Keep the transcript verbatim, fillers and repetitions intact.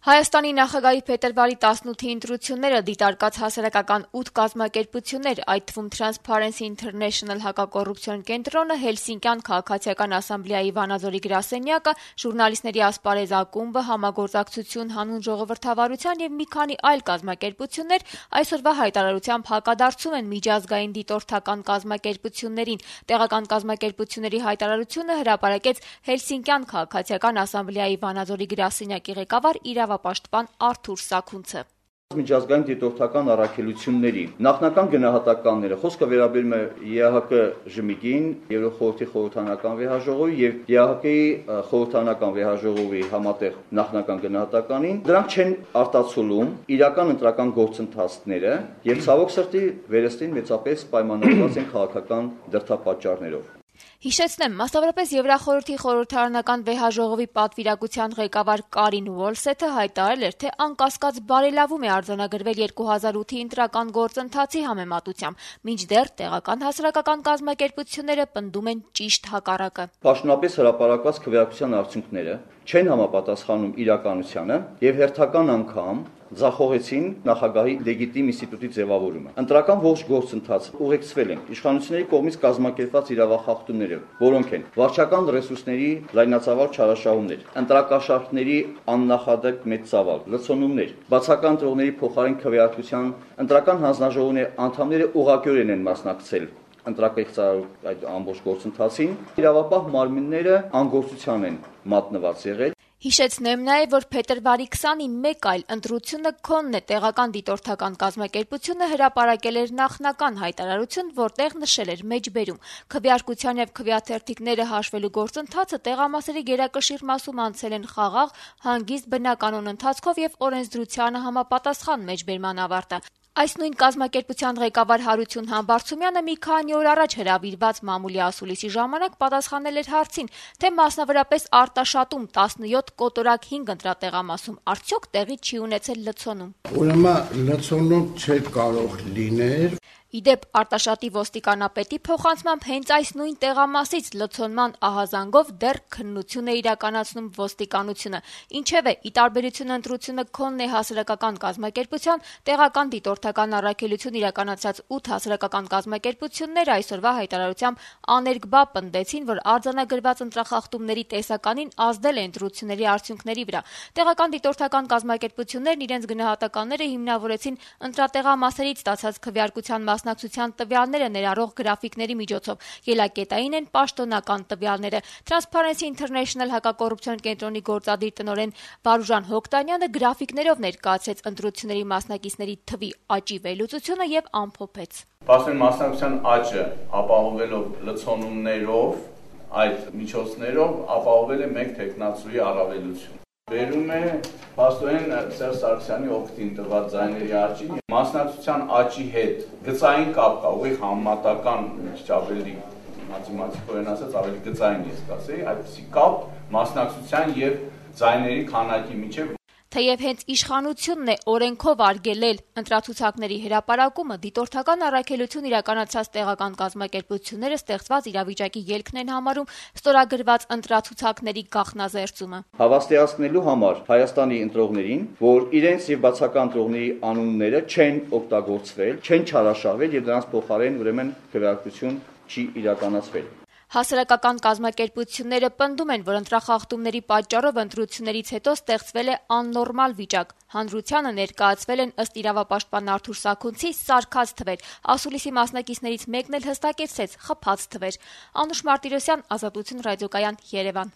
Հայաստանի նախագահի փետրվարի տասնութի ընտրությունները դիտարկած հասարակական ութ կազմակերպություններ, այդ թվում Transparency International հակակոռուպցիոն կենտրոնը, Հելսինկյան քաղաքացիական ասամբլեայի Վանաձորի գրասենյակը, ժուրնալիստների ասպարեզ ակումբը, Համագործակցություն հանուն ժողովրդավարության եւ մի քանի այլ կազմակերպություններ այսօրվա հայտարարությամբ հակադարձում են միջազգային դիտորդական կազմակերպություններին։ Տեղական կազմակերպությունների հայտարարությունը հրապարակեց Հելսինկյան քաղաքացիական ասամբլեայի Վանաձորի գրասենյակի ղեկավար իրավապաշտպան Արթուր Սաքունցը։ Միջազգային դիտորդական առաքելությունների նախնական գնահատականները խոսքը վերաբերում է ԵԱՀԿ ժմիգին, Եվրոխորհրդի խորհրդարանական վեհաժողովի եւ ԵԱՀԿ-ի խորհրդարանական վեհաժողովի համատեղ նախնական գնահատականին, դրանք չեն արտացոլում իրական ընտրական գործընթացները եւ ցավոք սրտի վերստին մեծապես պայմանավորված են քաղաքական դրդապատճառներով։ Հիշեցնեմ, մասնավորապես Եվրախորհրդի խորհրդարանական վեհաժողովի պատվիրակության ղեկավար Կարին Ուոլսեթը հայտարարել էր, թե անկասկած բարելավում է արձանագրվել երկու հազար ութի ընտրական գործընթացի համեմատությամբ, մինչդեռ տեղական հասարակական կազմակերպությունները պնդում են ճիշտ հակառակը։ Պաշտոնապես հրապարակված քվեարկության արդյունքները չեն համապատասխանում իրականությանը եւ հերթական անգամ ձախողեցին նախագահի լեգիտիմ ինստիտուտի ձևավորումը։ Ընտրական ողջ գործընթացը ուղեկցվել են իշխանությունների կողմից կազմակերպված իրավախախտումները, որոնք են վարչական ռեսուրսների լայնածավալ չարաշահումներ, ընտրակաշառքների աննախադեպ մեծ ծավալ, լցոնումներ, բացական ընտրողների փոխարեն քվեարկության ընտրական հանձնաժողովների անդամները ուղղակիորեն են մասնակցել ընտրակեղծարարու այդ ամբողջ գործընթացին, իրավապահ մարմինները անգործության են մատնված եղել։ Հիշեցնեմ նաև, որ փետրվարի քսանին մեկ այլ ընտրությունը քոնն է տեղական դիտորդական կազմակերպությունը հրապարակել էր նախնական հայտարարություն, որտեղ նշել էր մեջբերում քվեարկության եւ քվեաթերթիկները հաշվելու գործընթացը տեղամասերի գերակշիռ մասում անցել են խաղաղ, հանգիստ բնականոն ընթացքով եւ օրենսդրությանը համապատասխան մեջբերման ավարտը։ Այս նույն կազմակերպության ղեկավար Հարություն Համբարձումյանը մի քանի օր առաջ հրավիրված մամուլի ասուլիսի ժամանակ պատասխանել էր հարցին, թե մասնավորապես Արտաշատում տասնյոթ կոտորակ հինգ ընտրատեղամասում արդյոք տեղի չի ունեցել լցոնում։ Ուրեմն լցոնում չէր կարող լինել։ Իդեպ Արտաշատի ոստիկանապետի փոխանցմամբ հենց այս նույն տեղամասից լցոնման ահազանգով դեռ քննություն է իրականացնում ոստիկանությունը։ Ինչևէ, ի տարբերություն ընտրությունը քոնն է հասարակական կազմակերպության, տեղական դիտորդական առաքելություն իրականացած ութ հասարակական կազմակերպություններ այսօրվա հայտարարությամբ աներկբա պնդեցին, որ արձանագրված ընտրախախտումների տեսականին ազդել է ընտրությունների արդյունքների վրա։ Տեղական դիտորդական կազմակերպություններն իրենց գնահատականները հիմնավորեցին ընտրատեղամասերից ստացած քվեարկության մասնակցության տվյալները ներառող գրաֆիկների միջոցով, ելակետային են պաշտոնական տվյալները։ Transparency International հակակոռուպցիոն կենտրոնի գործադիր տնօրեն Վարուժան Հոկտանյանը գրաֆիկներով ներկայացրեց ընտրությունների մասնակիցների թվի աճի վերլուծությունը եւ ամփոփեց։ Պաշտոնի մասնակցության աճը ապահովելով լցոնումներով, այդ միջոցներով ապահովել է մեկ տեխնացուի առավելություն։ Վերում է պաշտոնեն Սերժ Սարգսյանի օգտին տված ձայների աճին, մասնակցության աճի հետ գծային կապ կա, ուղիղ համեմատական, քիչ ավելի մաթեմատիկորեն ասած ավելի գծային ես կասեի, այդպիսի կապ մասնակցության եւ ձայների քանակի միջեւ։ Թեև հենց իշխանությունն է օրենքով արգելել ընտրացուցակների հրապարակումը, դիտորդական առաքելություն իրականացած տեղական կազմակերպությունները ստեղծված իրավիճակի ելքն են համարում ստորագրված ընտրացուցակների գաղտնազերծումը։ Հավաստիացնելու համար Հայաստանի ընտրողներին, որ իրենց եւ բացական ընտրողների անունները չեն օգտագործվել, չեն չարաշահվել եւ դրանց փոխարեն ուրեմն քվեարկություն չի իրականացվել։ Հասարակական կազմակերպությունները պնդում են, որ ընտրախախտումների պատճառով ընտրություններից հետո ստեղծվել է աննորմալ վիճակ։ Հանրությանը ներկայացվել են ըստ իրավապաշտպան Արթուր Սաքունցի սարքած թվեր։ Ասուլիսի մասնակիցներից մեկն էլ հստակեցրեց՝ խփած թվեր։ Անուշ Մարտիրոսյան, Ազատություն ռադիոկայան, Երևան։